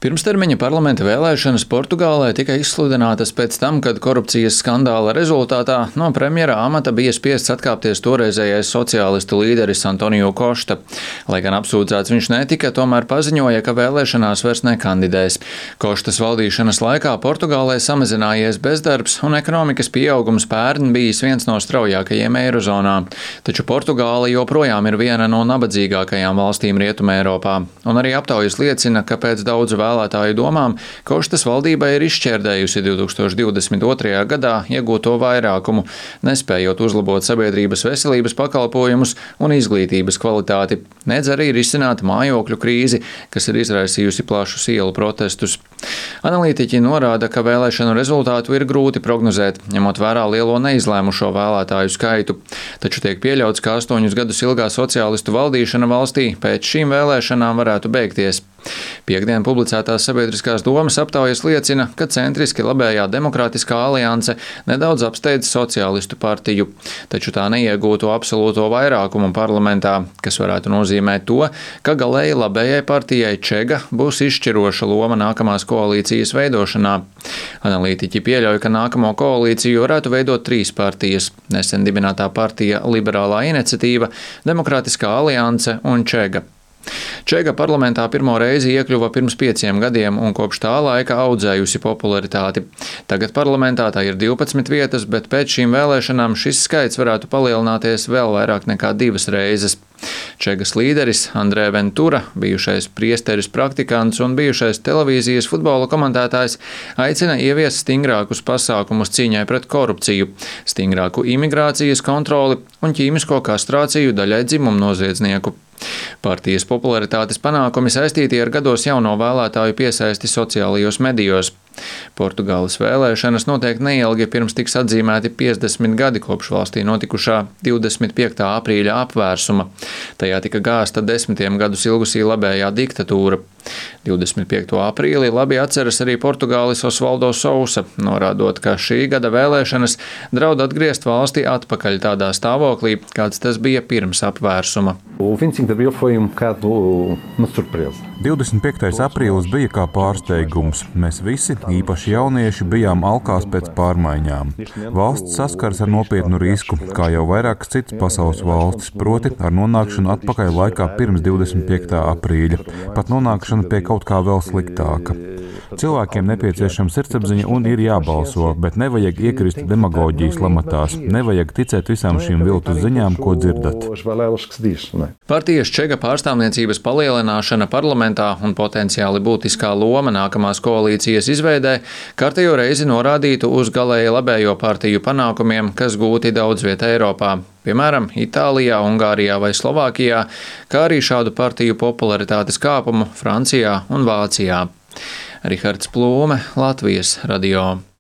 Pirmstermiņa parlamenta vēlēšanas Portugālē tika izsludinātas pēc tam, kad korupcijas skandāla rezultātā no premjera amata bija spiests atkāpties toreizējais sociālistu līderis Antonio Costa. Lai gan apsūdzēts viņš netika, tomēr paziņoja, ka vēlēšanās vairs nekandidēs. Kostas valdīšanas laikā Portugālē samazinājies bezdarbs un ekonomikas pieaugums pērn bijis viens no straujākajiem Eirozonā. Taču Portugāla joprojām ir viena no nabadzīgākajām valstīm Rietumē Eiropā. Un arī aptaujas liecina, ka pēc daudzu vēlētāju domām Kostas valdība ir izšķērdējusi 2022. gadā iegūto vairākumu, nespējot uzlabot sabiedrības veselības pakalpojumus un izglītības kvalitāti, nedz arī risināt mājokļu krīzi, kas ir izraisījusi plašus ielu protestus. Analītiķi norāda, ka vēlēšanu rezultātu ir grūti prognozēt, ņemot vērā lielo neizlēmušo vēlētāju skaitu. Taču tiek pieļauts, ka 8 gadus ilgā sociālistu valdīšana valstī pēc šīm vēlēšanām varētu beigties. Piektdien publicētās sabiedriskās domas aptaujas liecina, ka centriski labējā Demokrātiskā alianse nedaudz apsteidz sociālistu partiju, taču tā neiegūto absolūto vairākumu parlamentā, kas varētu nozīmēt to, ka galēji labējai partijai Čega būs izšķiroša loma nākamās koalīcijas veidošanā. Analītiķi pieļauj, ka nākamo koalīciju varētu veidot 3 partijas – nesen dibinātā partija Liberālā iniciatīva, Demokrātiskā alianse un Čega. Čega parlamentā pirmo reizi iekļuva pirms 5 gadiem un kopš tā laika audzējusi popularitāti. Tagad parlamentā tā ir 12 vietas, bet pēc šīm vēlēšanām šis skaits varētu palielināties vēl vairāk nekā 2 reizes. Čegas līderis Andrē Ventura, bijušais priesteris praktikants un bijušais televīzijas futbola komentētājs, aicina ieviest stingrākus pasākumus cīņai pret korupciju, stingrāku imigrācijas kontroli un ķīmisko kastrāciju daļai dzimumnoziedznieku. Partijas popularitātes panākumi saistīti ar gados jauno vēlētāju piesaisti sociālajos medijos. Portugāles vēlēšanas notiek neilgi pirms tiks atzīmēti 50 gadi kopš valstī notikušā 25. aprīļa apvērsuma. Tajā tika gāzta 10 gadus ilgusī labējā diktatūra. 25. aprīlī labi atceras arī Portugālis Osvaldo Sousa, norādot, ka šī gada vēlēšanas draud atgriezt valsti atpakaļ tādā stāvoklī, kāds tas bija pirms apvērsuma. 25. aprīlis bija kā pārsteigums. Mēs visi, īpaši jaunieši, bijām alkās pēc pārmaiņām. Valsts saskars ar nopietnu risku, kā jau vairākas citas pasaules valstis, proti ar nonākšanu atpakaļ laikā pirms 25. aprīļa, pat nonākšanu pie kaut kā vēl sliktāka. Cilvēkiem nepieciešama sirdsapziņa un ir jābalso, bet nevajag iekrist demagoģijas lamatās, nevajag ticēt visām šīm viltus ziņām, ko dzirdat. Partijas Čega pārstāvniecības palielināšana parlamentā un potenciāli būtiskā loma nākamās koalīcijas izveidē kārtējo reizi norādītu uz galēji labējo partiju panākumiem, kas gūti daudz vietā Eiropā. Piemēram, Itālijā, Ungārijā vai Slovākijā, kā arī šādu partiju popularitātes kāpumu Francijā un Vācijā. Rihards Plūme, Latvijas radio.